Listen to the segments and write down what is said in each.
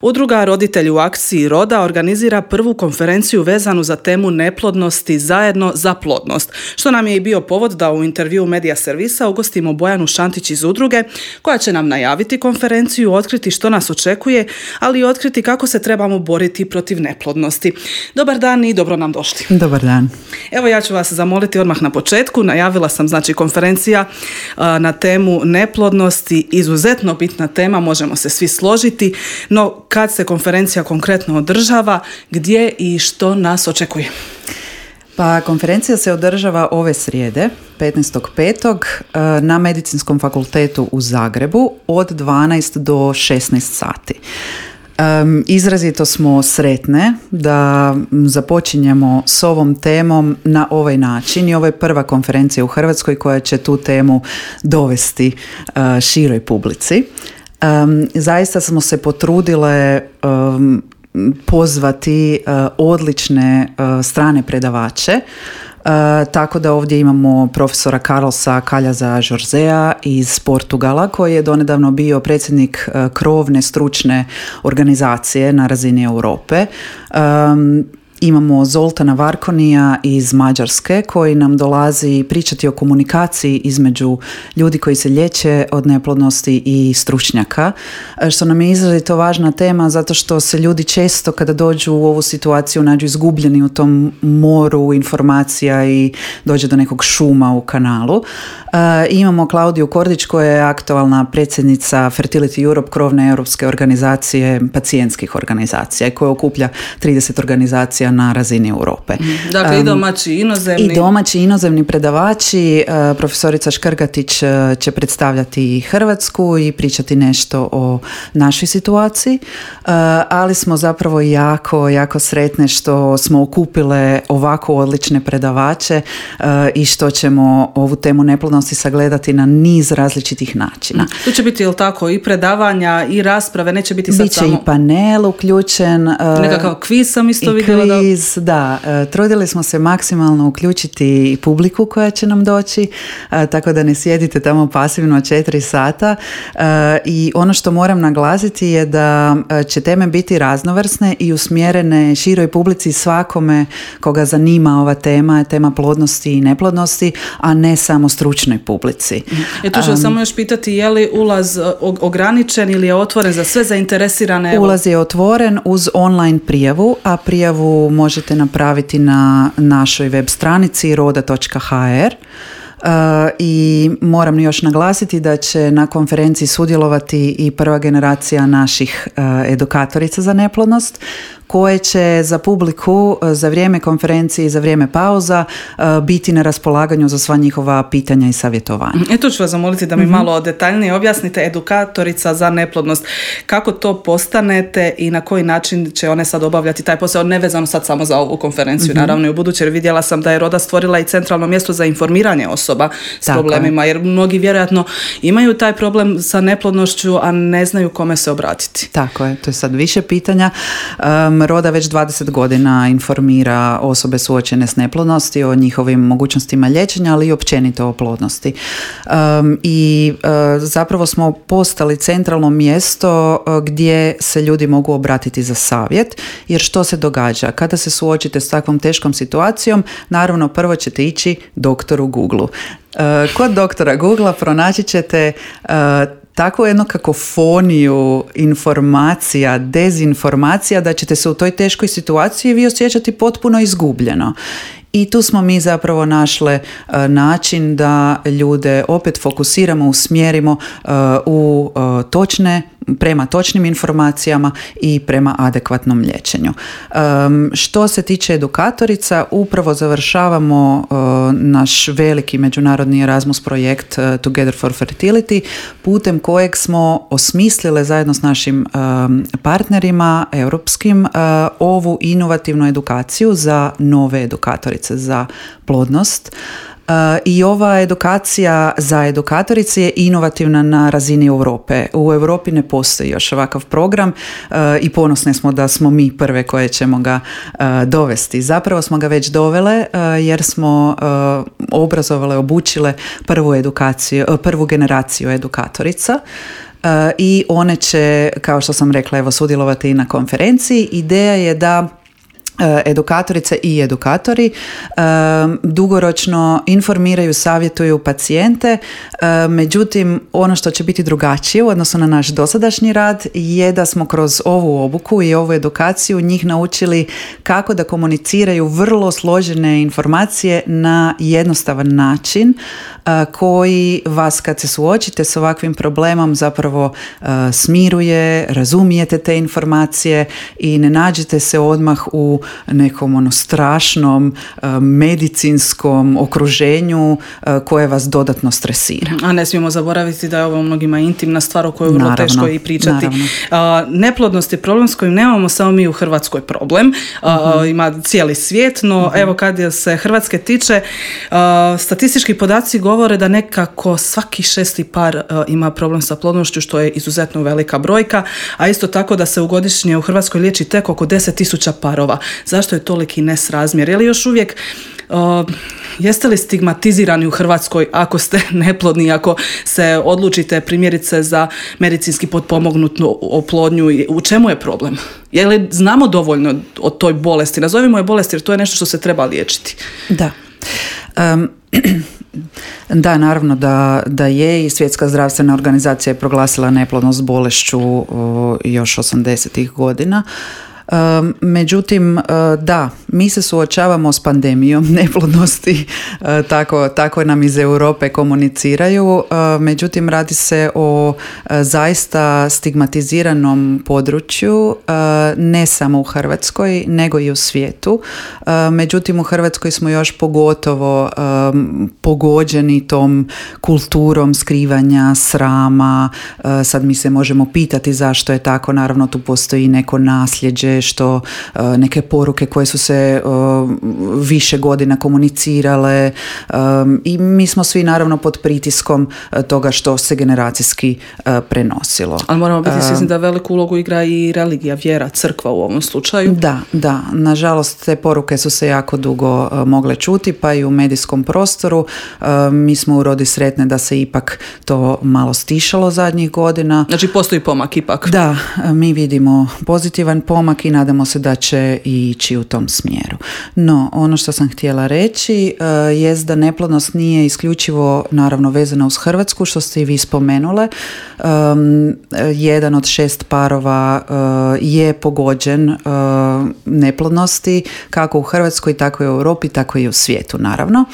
Udruga Roditelji u akciji Roda organizira prvu konferenciju vezanu za temu neplodnosti zajedno za plodnost, što nam je i bio povod da u intervjuu Medija servisa ugostimo Bojanu Šantić iz udruge, koja će nam najaviti konferenciju, otkriti što nas očekuje, ali i otkriti kako se trebamo boriti protiv neplodnosti. Dobar dan i dobro nam došli. Dobar dan. Evo, ja ću vas zamoliti odmah na početku. Najavila sam konferencija na temu neplodnosti, izuzetno bitna tema, možemo se svi složiti, no kad se konferencija konkretno održava, gdje i što nas očekuje? Pa konferencija se održava ove srijede, 15.5. na Medicinskom fakultetu u Zagrebu od 12 do 16 sati. Izrazito smo sretne da započinjemo s ovom temom na ovaj način i ovo je prva konferencija u Hrvatskoj koja će tu temu dovesti široj publici. Zaista smo se potrudile pozvati odlične strane predavače, tako da ovdje imamo profesora Carlosa Calhaza Jorzea iz Portugala, koji je donedavno bio predsjednik krovne stručne organizacije na razini Europe. Imamo Zoltana Varkonija iz Mađarske, koji nam dolazi pričati o komunikaciji između ljudi koji se liječe od neplodnosti i stručnjaka, što nam je izrazito važna tema zato što se ljudi često kada dođu u ovu situaciju nađu izgubljeni u tom moru informacija i dođe do nekog šuma u kanalu. Imamo Klaudiju Kordić, koja je aktualna predsjednica Fertility Europe, krovne europske organizacije pacijentskih organizacija i koja okuplja 30 organizacija na razini Europe. Dakle, i domaći i inozemni. I domaći i inozemni predavači. Profesorica Škrgatić će predstavljati Hrvatsku i pričati nešto o našoj situaciji, ali smo zapravo jako sretne što smo okupile ovako odlične predavače i što ćemo ovu temu neplodnosti sagledati na niz različitih načina. Tu će biti, jel tako, i predavanja i rasprave, neće biti sad Biće samo... i panel uključen. Nekakav kviz sam isto vidjela. Da, trudili smo se maksimalno uključiti i publiku koja će nam doći, tako da ne sjedite tamo pasivno 4 sata. I ono što moram naglasiti je da će teme biti raznovrsne i usmjerene široj publici, svakome koga zanima ova tema, tema plodnosti i neplodnosti, a ne samo stručnoj publici. Tu ću samo još pitati, je li ulaz ograničen ili je otvoren za sve zainteresirane? Ulaz je otvoren uz online prijavu, a prijavu možete napraviti na našoj web stranici roda.hr. I moram još naglasiti da će na konferenciji sudjelovati i prva generacija naših edukatorica za neplodnost, koje će za publiku za vrijeme konferencije i za vrijeme pauza biti na raspolaganju za sva njihova pitanja i savjetovanja. Tu ću vas zamoliti da mi malo detaljnije objasnite, edukatorica za neplodnost. Kako to postanete i na koji način će one sad obavljati taj posao, nevezano sad samo za ovu konferenciju, naravno i u buduće, jer vidjela sam da je Roda stvorila i centralno mjesto za informiranje osoba s problemima, jer mnogi vjerojatno imaju taj problem sa neplodnošću, a ne znaju kome se obratiti. Tako je, to je sad više pitanja. Roda već 20 godina informira osobe suočene s neplodnosti o njihovim mogućnostima liječenja, ali i općenito o plodnosti. Zapravo smo postali centralno mjesto gdje se ljudi mogu obratiti za savjet, jer što se događa? Kada se suočite s takvom teškom situacijom, naravno prvo ćete ići doktoru Google-u. Kod doktora Google-a pronaći ćete takvu jednu kakofoniju informacija, dezinformacija, da ćete se u toj teškoj situaciji vi osjećati potpuno izgubljeno. I tu smo mi zapravo našle način da ljude opet fokusiramo, usmjerimo prema točnim informacijama i prema adekvatnom liječenju. Što se tiče edukatorica, upravo završavamo naš veliki međunarodni Erasmus projekt Together for Fertility, putem kojeg smo osmislile zajedno s našim partnerima europskim ovu inovativnu edukaciju za nove edukatorice za plodnost. I ova edukacija za edukatorice je inovativna na razini Europe. U Europi ne postoji još ovakav program i ponosne smo da smo mi prve koje ćemo ga dovesti. Zapravo smo ga već dovele jer smo obrazovale, obučile prvu generaciju edukatorica. i one će, kao što sam rekla, evo, sudjelovati i na konferenciji. Ideja je da edukatorice i edukatori dugoročno informiraju, savjetuju pacijente, međutim ono što će biti drugačije u odnosu na naš dosadašnji rad je da smo kroz ovu obuku i ovu edukaciju njih naučili kako da komuniciraju vrlo složene informacije na jednostavan način koji vas, kad se suočite s ovakvim problemom, zapravo smiruje, razumijete te informacije i ne nađete se odmah u nekom strašnom medicinskom okruženju koje vas dodatno stresira. A ne smijemo zaboraviti da je ovo mnogima intimna stvar o kojoj je vrlo teško i pričati. Neplodnost je problem s kojim nemamo samo mi u Hrvatskoj problem. Ima cijeli svijet, no evo kad se Hrvatske tiče, statistički podaci govore da nekako svaki 6. par ima problem sa plodnošću, što je izuzetno velika brojka, a isto tako da se godišnje u Hrvatskoj liječi tek oko 10.000 parova. Zašto je toliki nesrazmjer? Je li još uvijek jeste li stigmatizirani u Hrvatskoj ako ste neplodni, ako se odlučite primjerice za medicinski potpomognutu oplodnju? U čemu je problem? Je li znamo dovoljno o toj bolesti? Nazovimo je bolest jer to je nešto što se treba liječiti. Da. Da, naravno da je, i Svjetska zdravstvena organizacija je proglasila neplodnost bolešću još 80-ih godina. Međutim, da, mi se suočavamo s pandemijom neplodnosti, tako nam iz Europe komuniciraju, međutim radi se o zaista stigmatiziranom području, ne samo u Hrvatskoj, nego i u svijetu. Međutim, u Hrvatskoj smo još pogotovo pogođeni tom kulturom skrivanja, srama. Sad mi se možemo pitati zašto je tako, naravno tu postoji neko nasljeđe, što neke poruke koje su se više godina komunicirale, i mi smo svi naravno pod pritiskom toga što se generacijski prenosilo. Ali moramo biti svjesni da veliku ulogu igra i religija, vjera, crkva u ovom slučaju. Da, nažalost te poruke su se jako dugo mogle čuti, pa i u medijskom prostoru. Mi smo u Rodi sretne da se ipak to malo stišalo zadnjih godina. Znači postoji pomak ipak. Da, mi vidimo pozitivan pomak i nadamo se da će ići u tom smjeru. No, ono što sam htjela reći jest da neplodnost nije isključivo naravno vezana uz Hrvatsku, što ste i vi spomenule. 1 od 6 parova je pogođen neplodnosti, kako u Hrvatskoj, tako i u Europi, tako i u svijetu, naravno.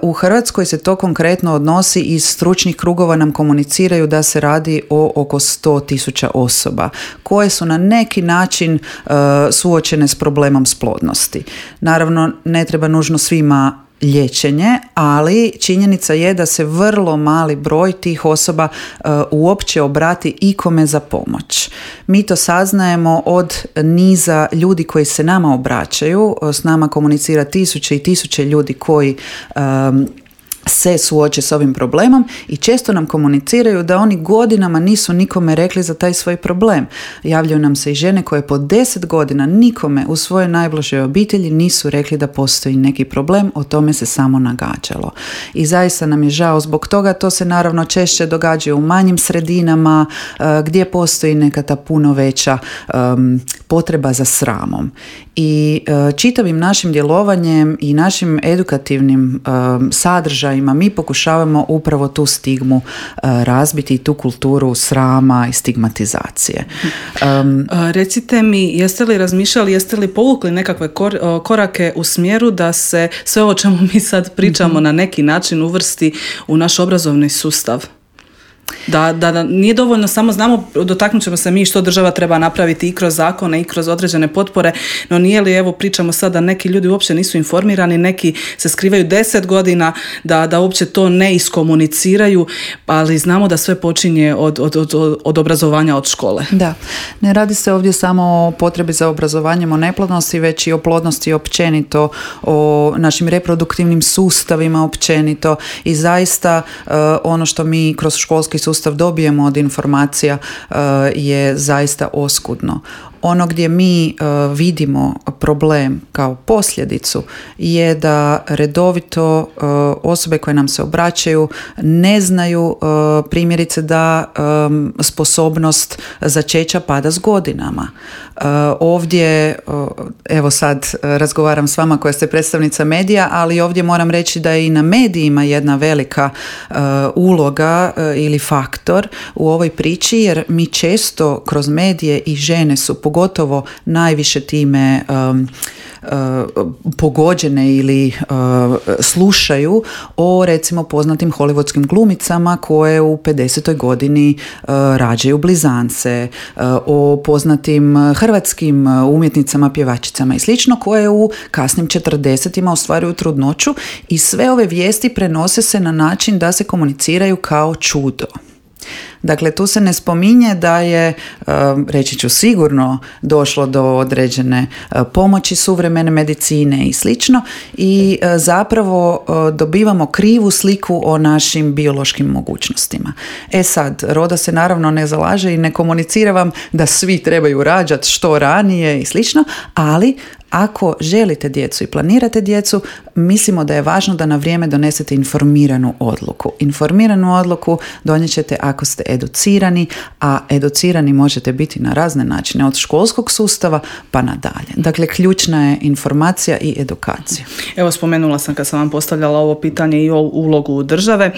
U Hrvatskoj se to konkretno odnosi, iz stručnih krugova nam komuniciraju da se radi o oko 100.000 osoba koje su na neki način suočene s problemom splodnosti. Naravno, ne treba nužno svima liječenje, ali činjenica je da se vrlo mali broj tih osoba uopće obrati ikome za pomoć. Mi to saznajemo od niza ljudi koji se nama obraćaju, s nama komunicira tisuće i tisuće ljudi koji se suoče s ovim problemom i često nam komuniciraju da oni godinama nisu nikome rekli za taj svoj problem. Javljaju nam se i žene koje po 10 godina nikome u svojoj najbližoj obitelji nisu rekli da postoji neki problem, o tome se samo nagađalo. I zaista nam je žao zbog toga. To se naravno češće događa u manjim sredinama gdje postoji neka ta puno veća potreba za sramom. I čitavim našim djelovanjem i našim edukativnim sadržajima mi pokušavamo upravo tu stigmu razbiti i tu kulturu srama i stigmatizacije. Recite mi, jeste li razmišljali, jeste li povukli nekakve korake u smjeru da se sve o čemu mi sad pričamo na neki način uvrsti u naš obrazovni sustav? Da nije dovoljno samo znamo, dotaknut ćemo se mi što država treba napraviti i kroz zakone i kroz određene potpore, no nije li, evo pričamo sad da neki ljudi uopće nisu informirani, neki se skrivaju 10 godina da uopće to ne iskomuniciraju, ali znamo da sve počinje od obrazovanja, od škole. Da, ne radi se ovdje samo o potrebi za obrazovanjem o neplodnosti, već i o plodnosti općenito, o našim reproduktivnim sustavima općenito, i zaista ono što mi kroz školski školski sustav dobijemo od informacija je zaista oskudno. Ono gdje mi vidimo problem kao posljedicu je da redovito osobe koje nam se obraćaju ne znaju primjerice da sposobnost začeća pada s godinama. Ovdje, evo sad razgovaram s vama koja ste predstavnica medija, ali ovdje moram reći da je i na medijima jedna velika uloga ili faktor u ovoj priči, jer mi često kroz medije i žene su pogotovo najviše time pogođene ili slušaju o recimo poznatim hollywoodskim glumicama koje u 50. godini rađaju blizance, o poznatim hrvatskim umjetnicama, pjevačicama i slično koje u kasnim 40-ima ostvaruju trudnoću i sve ove vijesti prenose se na način da se komuniciraju kao čudo. Dakle, tu se ne spominje da je, reći ću sigurno, došlo do određene pomoći suvremene medicine i slično i zapravo dobivamo krivu sliku o našim biološkim mogućnostima. Sad, Roda se naravno ne zalaže i ne komunicira vam da svi trebaju rađati što ranije i slično, ali ako želite djecu i planirate djecu, mislimo da je važno da na vrijeme donesete informiranu odluku. Informiranu odluku donijet ćete ako ste educirani, a educirani možete biti na razne načine, od školskog sustava pa nadalje. Dakle, ključna je informacija i edukacija. Evo, spomenula sam kad sam vam postavljala ovo pitanje i o ulogu države.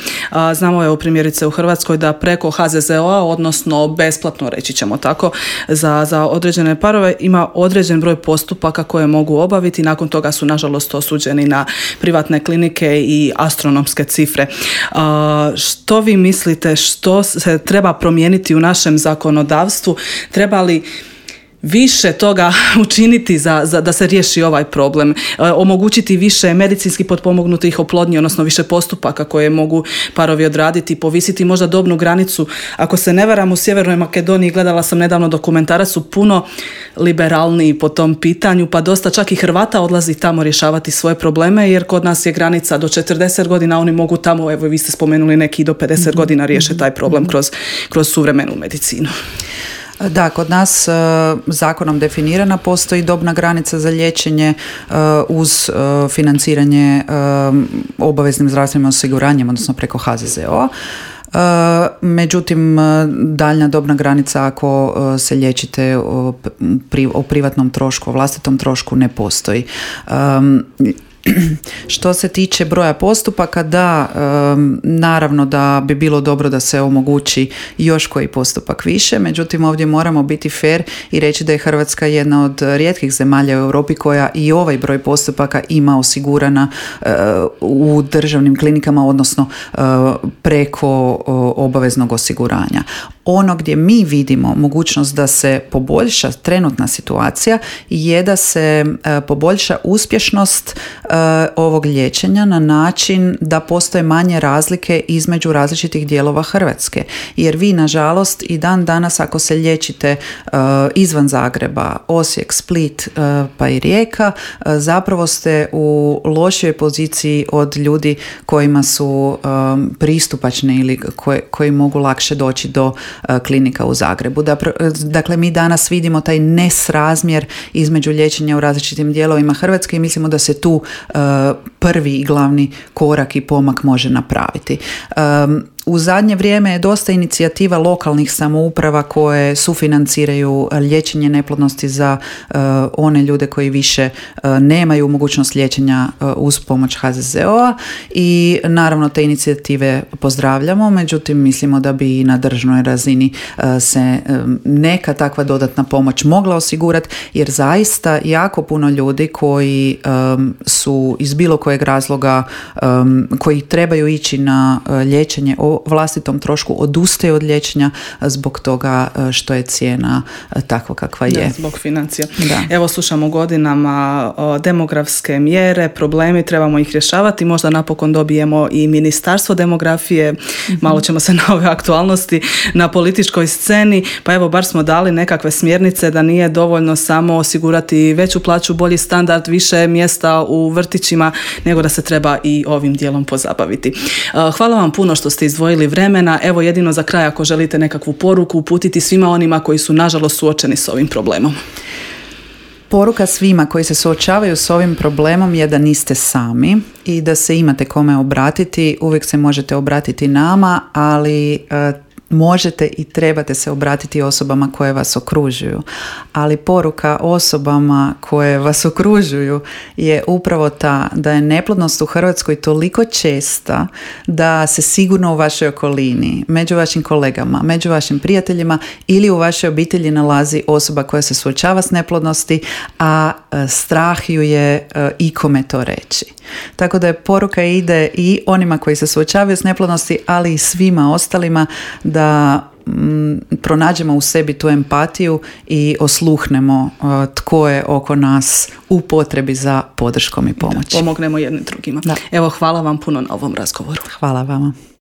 Znamo evo primjerice u Hrvatskoj da preko HZZO-a, odnosno besplatno, reći ćemo tako, za određene parove ima određen broj postupaka koje mogu obaviti. Nakon toga su nažalost osuđeni na privatne klinike i astronomske cifre. Što vi mislite, što se treba promijeniti u našem zakonodavstvu? Treba li više toga učiniti da se riješi ovaj problem, omogućiti više medicinski potpomognutih oplodnji, odnosno više postupaka koje mogu parovi odraditi, povisiti možda dobnu granicu? Ako se ne varam, u Sjevernoj Makedoniji, gledala sam nedavno dokumentarac, su puno liberalniji po tom pitanju, pa dosta čak i Hrvata odlazi tamo rješavati svoje probleme, jer kod nas je granica do 40 godina, oni mogu tamo, evo vi ste spomenuli, neki do 50 godina riješe taj problem kroz suvremenu medicinu. Da, kod nas zakonom definirana postoji dobna granica za liječenje uz financiranje obaveznim zdravstvenim osiguranjem, odnosno preko HZZO-a. Međutim, daljnja dobna granica ako se liječite o privatnom trošku, o vlastitom trošku ne postoji. Što se tiče broja postupaka, da, naravno da bi bilo dobro da se omogući još koji postupak više, međutim ovdje moramo biti fair i reći da je Hrvatska jedna od rijetkih zemalja u Europi koja i ovaj broj postupaka ima osigurana u državnim klinikama, odnosno preko obaveznog osiguranja. Ono gdje mi vidimo mogućnost da se poboljša trenutna situacija je da se poboljša uspješnost ovog liječenja na način da postoje manje razlike između različitih dijelova Hrvatske. Jer vi, nažalost, i dan danas ako se liječite izvan Zagreba, Osijek, Split pa i Rijeka, zapravo ste u lošoj poziciji od ljudi kojima su pristupačni ili koji mogu lakše doći do klinika u Zagrebu. Dakle, mi danas vidimo taj nesrazmjer između liječenja u različitim dijelovima Hrvatske i mislimo da se tu prvi i glavni korak i pomak može napraviti. U zadnje vrijeme je dosta inicijativa lokalnih samouprava koje sufinanciraju liječenje neplodnosti za one ljude koji više nemaju mogućnost liječenja uz pomoć HZZO-a i naravno te inicijative pozdravljamo, međutim mislimo da bi na državnoj razini se neka takva dodatna pomoć mogla osigurati, jer zaista jako puno ljudi koji su iz bilo kojeg razloga koji trebaju ići na liječenje o vlastitom trošku odustaju od liječenja zbog toga što je cijena takva kakva je. Da, zbog financija. Da. Evo, slušamo godinama demografske mjere, problemi, trebamo ih rješavati. Možda napokon dobijemo i Ministarstvo demografije, malo ćemo se na ove aktualnosti na političkoj sceni, pa evo bar smo dali nekakve smjernice da nije dovoljno samo osigurati veću plaću, bolji standard, više mjesta u vrtićima, nego da se treba i ovim dijelom pozabaviti. Hvala vam puno što ste izdvojili izdvojili vremena. Evo jedino za kraj ako želite nekakvu poruku uputiti svima onima koji su nažalost suočeni s ovim problemom. Poruka svima koji se suočavaju s ovim problemom je da niste sami i da se imate kome obratiti. Uvijek se možete obratiti nama, ali možete i trebate se obratiti osobama koje vas okružuju. Ali poruka osobama koje vas okružuju je upravo ta da je neplodnost u Hrvatskoj toliko česta da se sigurno u vašoj okolini, među vašim kolegama, među vašim prijateljima ili u vašoj obitelji nalazi osoba koja se suočava s neplodnosti, a strah ju je ikome to reći. Tako da je poruka ide i onima koji se suočavaju s neplodnosti, ali i svima ostalima da pronađemo u sebi tu empatiju i osluhnemo tko je oko nas u potrebi za podrškom i pomoći. Da pomognemo jednim drugima. Da. Evo, hvala vam puno na ovom razgovoru. Hvala vama.